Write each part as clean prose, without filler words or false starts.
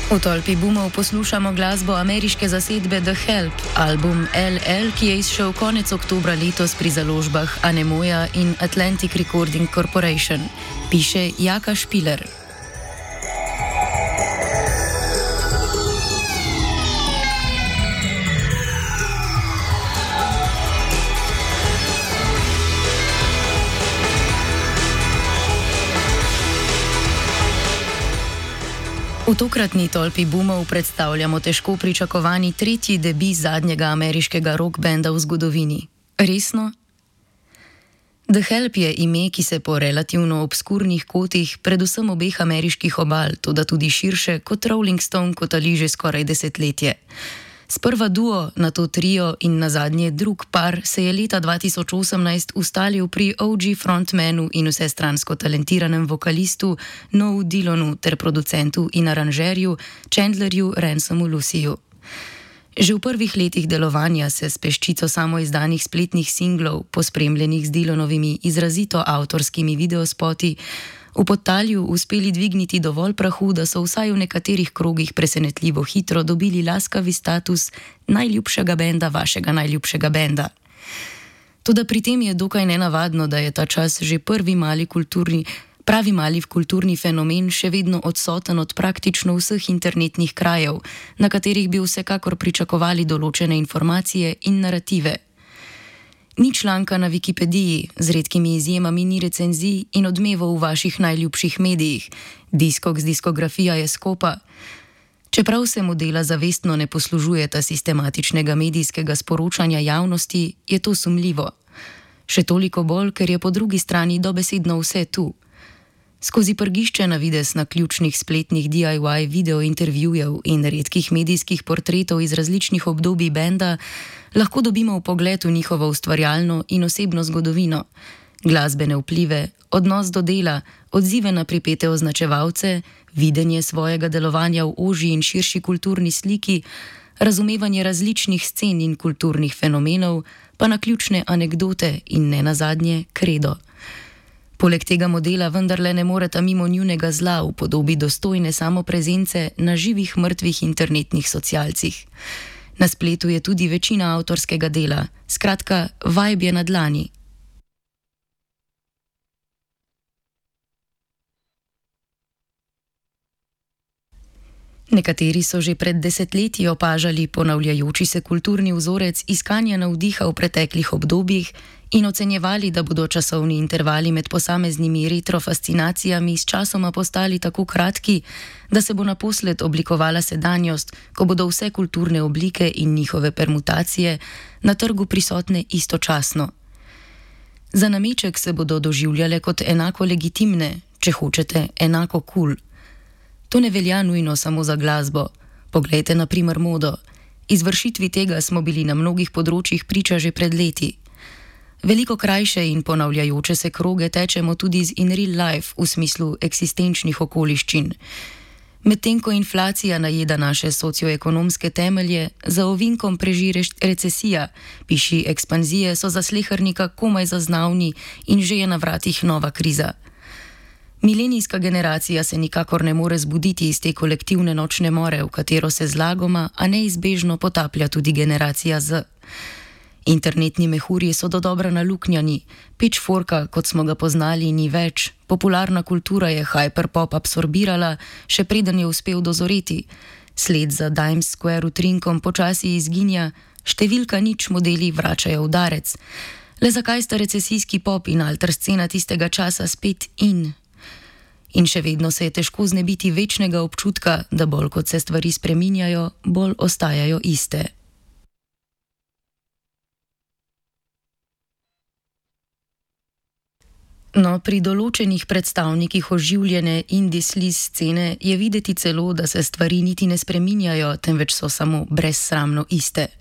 V tolpi boomov poslušamo glasbo ameriške zasedbe The Help, album LL, ki je izšel konec oktobra letos pri založbah Anemoja in Atlantic Recording Corporation. Piše Jaka Špiler. V tokratni tolpi boomov predstavljamo težko pričakovani tretji debi zadnjega ameriškega rock benda v zgodovini. Resno? The Help je ime, ki se po relativno obskurnih kotih, predvsem obeh ameriških obal, toda tudi širše kot Rolling Stone kotali že skoraj desetletje. Sprva duo, nato trio in nazadnje drug par se je leta 2018 ustalil pri OG frontmanu in vsestransko talentiranem vokalistu Noel Dillonu ter producentu in aranžerju Chandlerju Ransomu Luciju. Že v prvih letih delovanja se s peščico samoizdanih spletnih singlov, pospremljenih z Dillonovimi izrazito avtorskimi videospoti, v podtalju uspeli dvigniti dovolj prahu, da so vsaj v nekaterih krogih presenetljivo hitro dobili laskavi status najljubšega benda vašega najljubšega benda. Toda pri tem je dokaj nenavadno, da je ta čas že pravi mali kulturni fenomen še vedno odsoten od praktično vseh internetnih krajev, na katerih bi vsekakor pričakovali določene informacije in narative. Ni članka na Wikipediji, z redkimi izjemami ni recenzij in odmevov v vaših najljubših medijih. Discogs diskografija je skopa. Čeprav se modela zavestno ne poslužujeta sistematičnega medijskega sporočanja javnosti, je to sumljivo. Še toliko bolj, ker je po drugi strani dobesedno vse tu. Skozi prgišče na videz naključnih spletnih DIY video intervjujev in redkih medijskih portretov iz različnih obdobij benda lahko dobimo vpogled v njihovo ustvarjalno in osebno zgodovino, glasbene vplive, odnos do dela, odzive na pripete označevalce, videnje svojega delovanja v ožji in širši kulturni sliki, razumevanje različnih scen in kulturnih fenomenov, pa naključne anekdote in nenazadnje kredo. Poleg tega modela vendarle ne moreta mimo njunega zla v podobi dostojne samoprezence na živih mrtvih internetnih socialcih. Na spletu je tudi večina avtorskega dela, skratka, vibe je na dlani. Nekateri so že pred desetletji opažali ponavljajoči se kulturni vzorec iskanja navdiha v preteklih obdobjih in ocenjevali, da bodo časovni intervali med posameznimi retrofascinacijami s časoma postali tako kratki, da se bo naposled oblikovala sedanjost, ko bodo vse kulturne oblike in njihove permutacije na trgu prisotne istočasno. Za nameček se bodo doživljale kot enako legitimne, če hočete, enako kul. To ne velja nujno samo za glasbo. Poglejte na primer modo. Izvršitvi tega smo bili na mnogih področjih priča že pred leti. Veliko krajše in ponavljajoče se kroge tečemo tudi z in real life v smislu eksistenčnih okoliščin. Medtem ko inflacija najeda naše socioekonomske temelje, za ovinkom preži recesija, piši ekspanzije so za slehernika komaj zaznavni in že je na vratih nova kriza. Milenijska generacija se nikakor ne more zbuditi iz te kolektivne nočne more, v katero se zlagoma, a neizbežno potaplja tudi generacija Z. Internetni mehurji so dodobra naluknjani, pitchforka, kot smo ga poznali, ni več, popularna kultura je hyperpop absorbirala, še preden je uspel dozoreti, sled za Times Square utrinkom počasi izginja, številka nič modeli vračajo udarec. Le zakaj sta recesijski pop in alter scena tistega časa spet in? In še vedno se je težko znebiti večnega občutka, da bolj kot se stvari spreminjajo, bolj ostajajo iste. No, pri določenih predstavnikih oživljene indie sleaze scene je videti celo, da se stvari niti ne spreminjajo, temveč so samo brezsramno iste.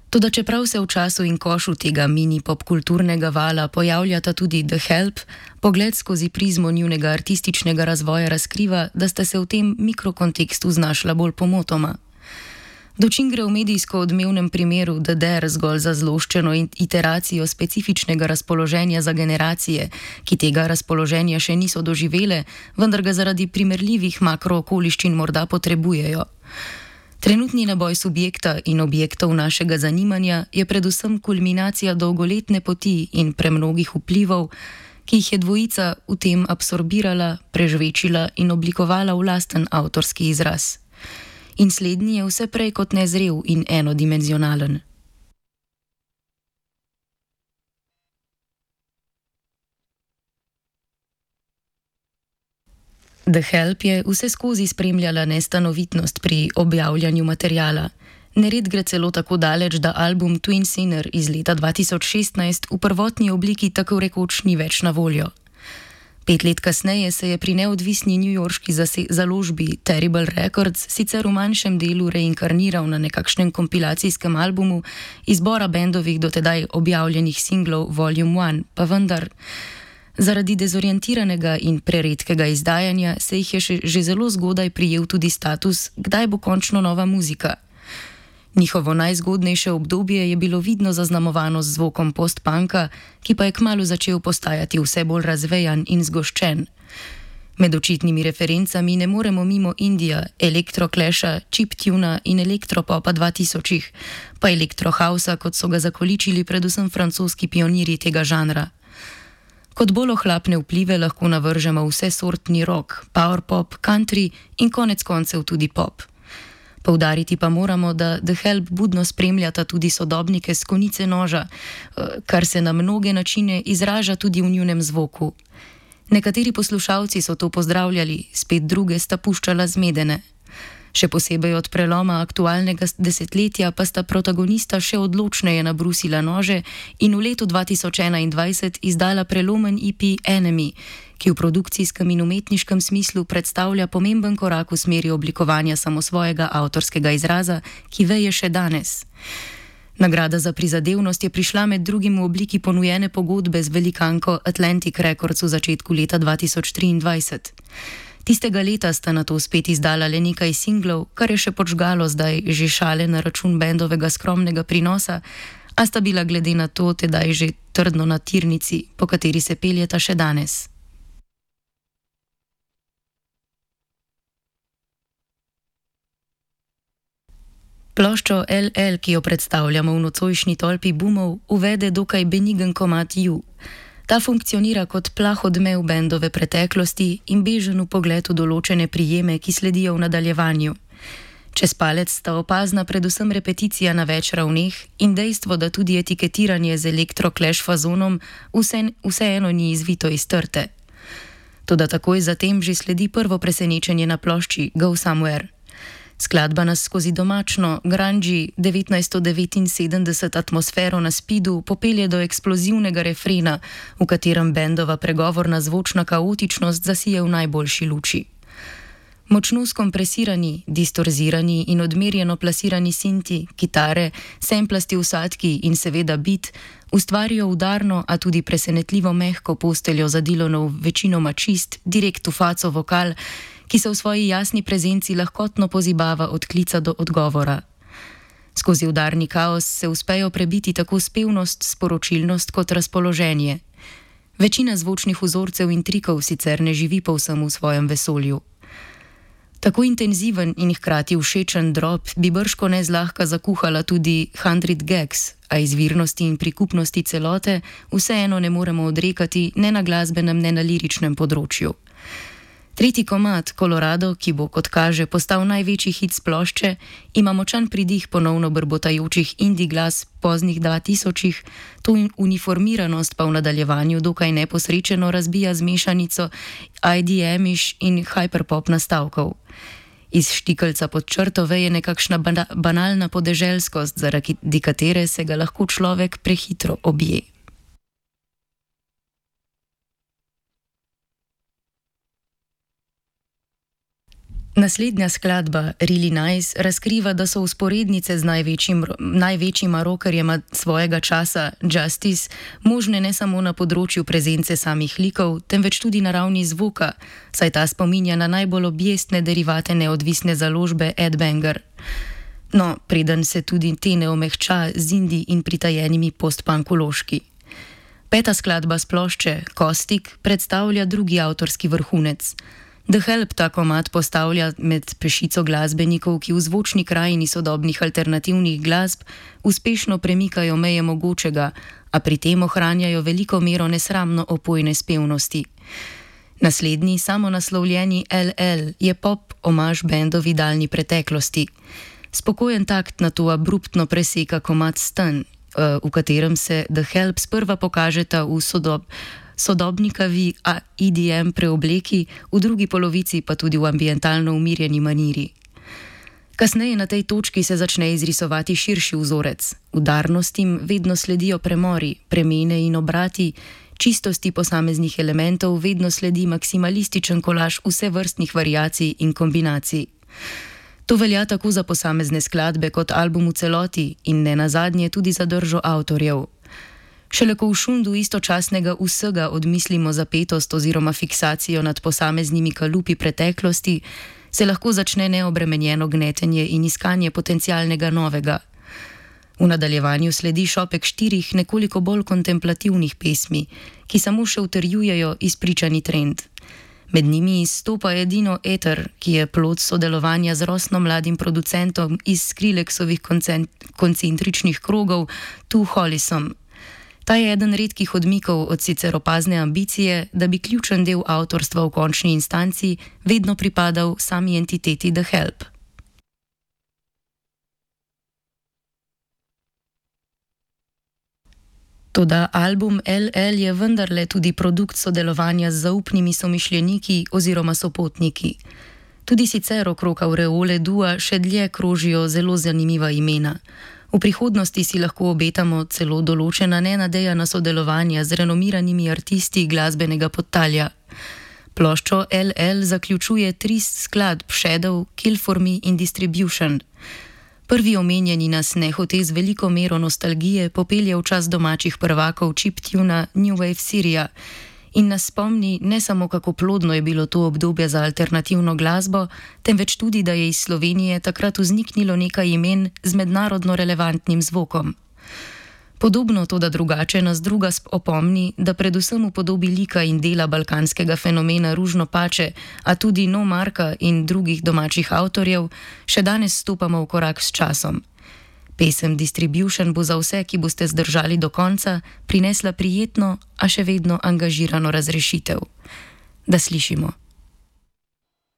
Toda čeprav se v času in košu tega mini popkulturnega vala pojavljata tudi The Help, pogled skozi prizmo njunega artističnega razvoja razkriva, da sta se v tem mikrokontekstu znašla bolj pomotoma. Dočim gre v medijsko odmevnem primeru DDR zgolj za zloščeno iteracijo specifičnega razpoloženja za generacije, ki tega razpoloženja še niso doživele, vendar ga zaradi primerljivih makrookoliščin morda potrebujejo. Trenutni naboj subjekta in objektov našega zanimanja je predvsem kulminacija dolgoletne poti in premnogih vplivov, ki jih je dvojica v tem absorbirala, prežvečila in oblikovala v lasten avtorski izraz. In slednji je vse prej kot nezrel in enodimenzionalen. The Help je vse skozi spremljala nestanovitnost pri objavljanju materiala. Nered gre celo tako daleč, da album Twin Sinner iz leta 2016 v prvotni obliki tako rekoč ni več na voljo. 5 let kasneje se je pri neodvisni newyorški založbi Terrible Records sicer v manjšem delu reinkarniral na nekakšnem kompilacijskem albumu izbora bendovih dotedaj objavljenih singlov Volume 1, pa vendar. Zaradi dezorientiranega in preredkega izdajanja se jih je že zelo zgodaj prijel tudi status, kdaj bo končno nova muzika. Njihovo najzgodnejše obdobje je bilo vidno zaznamovano z zvokom post-punka, ki pa je kmalu začel postajati vse bolj razvejan in zgoščen. Med očitnimi referencami ne moremo mimo Indija, elektrokleša, chiptuna in elektropopa 2000-ih, pa elektrohausa, kot so ga zakoličili predvsem francoski pionirji tega žanra. Kot bolj ohlapne vplive lahko navržemo vsesortni rock, powerpop, country in konec koncev tudi pop. Poudariti pa moramo, da The Help budno spremljata tudi sodobnike s konice noža, kar se na mnoge načine izraža tudi v njunem zvoku. Nekateri poslušalci so to pozdravljali, spet druge sta puščala zmedene. Še posebej od preloma aktualnega desetletja pa sta protagonista še odločneje nabrusila nože in v letu 2021 izdala prelomen EP Enemy, ki v produkcijskem in umetniškem smislu predstavlja pomemben korak v smeri oblikovanja samosvojega avtorskega izraza, ki veje še danes. Nagrada za prizadevnost je prišla med drugim v obliki ponujene pogodbe z velikanko Atlantic Records v začetku leta 2023. Tistega leta sta nato spet izdala le nekaj singlov, kar je še podžgalo zdaj že šale na račun bendovega skromnega prinosa, a sta bila glede na to tedaj že trdno na tirnici, po kateri se peljeta še danes. Ploščo LL, ki jo predstavljamo v nocojšnji tolpi boomov, uvede dokaj benigen komad You. Ta funkcionira kot plah odmev bendove preteklosti in bežen pogled v določene prijeme, ki sledijo v nadaljevanju. Čez palec sta opazna predvsem repeticija na več ravneh in dejstvo, da tudi etiketiranje z elektro-clash fazonom vseeno ni izvito iz trte. Toda takoj zatem že sledi prvo presenečenje na plošči Go Somewhere. Skladba nas skozi domačno, grungy 1979 atmosfero na Speedu popelje do eksplozivnega refrena, v katerem bendova pregovorna zvočna kaotičnost zasije v najboljši luči. Močno skompresirani, distorzirani in odmerjeno plasirani sinti, kitare, semplasti vsadki in seveda beat ustvarijo udarno, a tudi presenetljivo mehko posteljo za Dylanov večinoma čist, direkt v faco vokal, ki se v svoji jasni prezenci lahkotno pozibava od klica do odgovora. Skozi udarni kaos se uspejo prebiti tako spevnost, sporočilnost kot razpoloženje. Večina zvočnih vzorcev in trikov sicer ne živi povsem v svojem vesolju. Tako intenziven in hkrati všečen drop bi bržkone zlahka zakuhala tudi 100 Gags, a izvirnosti in prikupnosti celote vseeno ne moremo odrekati ne na glasbenem, ne na liričnem področju. Tretji komad, Colorado, ki bo, kot kaže, postal največji hit s plošče, ima močan pridih ponovno brbotajočih indie glas poznih 2000-ih, to uniformiranost pa v nadaljevanju dokaj neposrečeno razbija z mešanico IDM-iš in hyperpop nastavkov. Iz štikelca pod črto veje nekakšna banalna podeželskost, zaradi katere se ga lahko človek prehitro obje. Naslednja skladba, Really Nice, razkriva, da so vzporednice z največjima rockerjema svojega časa, Justice, možne ne samo na področju prezence samih likov, temveč tudi na ravni zvoka, saj ta spominja na najbolj objestne derivate neodvisne založbe Ed Banger. No, preden se tudi te ne omehča z indie in pritajenimi postpankološki. Peta skladba s plošče, Kostik, predstavlja drugi avtorski vrhunec. The Help ta komad postavlja med pešico glasbenikov, ki v zvočni krajini sodobnih alternativnih glasb uspešno premikajo meje mogočega, a pri tem ohranjajo veliko mero nesramno opojne spevnosti. Naslednji, samonaslovljeni LL, je pop omaž bendovi daljni preteklosti. Spokojen takt na to abruptno preseka komad Stun, v katerem se The Help sprva pokažeta v sodobnikavi EDM preobleki, v drugi polovici pa tudi v ambientalno umirjeni maniri. Kasneje na tej točki se začne izrisovati širši vzorec. Udarnostim vedno sledijo premori, premene in obrati, čistosti posameznih elementov vedno sledi maksimalističen kolaž vsevrstnih variacij in kombinacij. To velja tako za posamezne skladbe kot album v celoti in ne nazadnje tudi za držo avtorjev. Šele ko v šundu istočasnega vsega odmislimo zapetost oziroma fiksacijo nad posameznimi kalupi preteklosti, se lahko začne neobremenjeno gnetenje in iskanje potencialnega novega. V nadaljevanju sledi šopek 4 nekoliko bolj kontemplativnih pesmi, ki samo še utrjujejo izpričani trend. Med njimi izstopa edino Eter, ki je plod sodelovanja z rosno mladim producentom iz Skrillexovih koncentričnih krogov, Tu Hollisom. Ta je eden redkih odmikov od sicer opazne ambicije, da bi ključen del avtorstva v končni instanci vedno pripadal sami entiteti The Help. Toda album LL je vendarle tudi produkt sodelovanja z zaupnimi somišljeniki oziroma sopotniki. Tudi sicer okrog aureole dua še dlje krožijo zelo zanimiva imena. V prihodnosti si lahko obetamo celo določena nenadejana sodelovanja z renomiranimi artisti glasbenega podtalja. Ploščo LL zaključuje 3 skladb Shadow, Kill for Me in Distribution. Prvi omenjeni nas nehote z veliko mero nostalgije popelje v čas domačih prvakov chiptuna New Wave Syria in nas spomni ne samo, kako plodno je bilo to obdobje za alternativno glasbo, temveč tudi, da je iz Slovenije takrat vzniknilo nekaj imen z mednarodno relevantnim zvokom. Podobno, toda drugače, nas druga opomni, da predvsem v podobi lika in dela balkanskega fenomena Ružno Pače, a tudi No Marka in drugih domačih avtorjev, še danes stopamo v korak s časom. Pesem Distribution bo za vse, ki boste zdržali do konca, prinesla prijetno, a še vedno angažirano razrešitev. Da slišimo.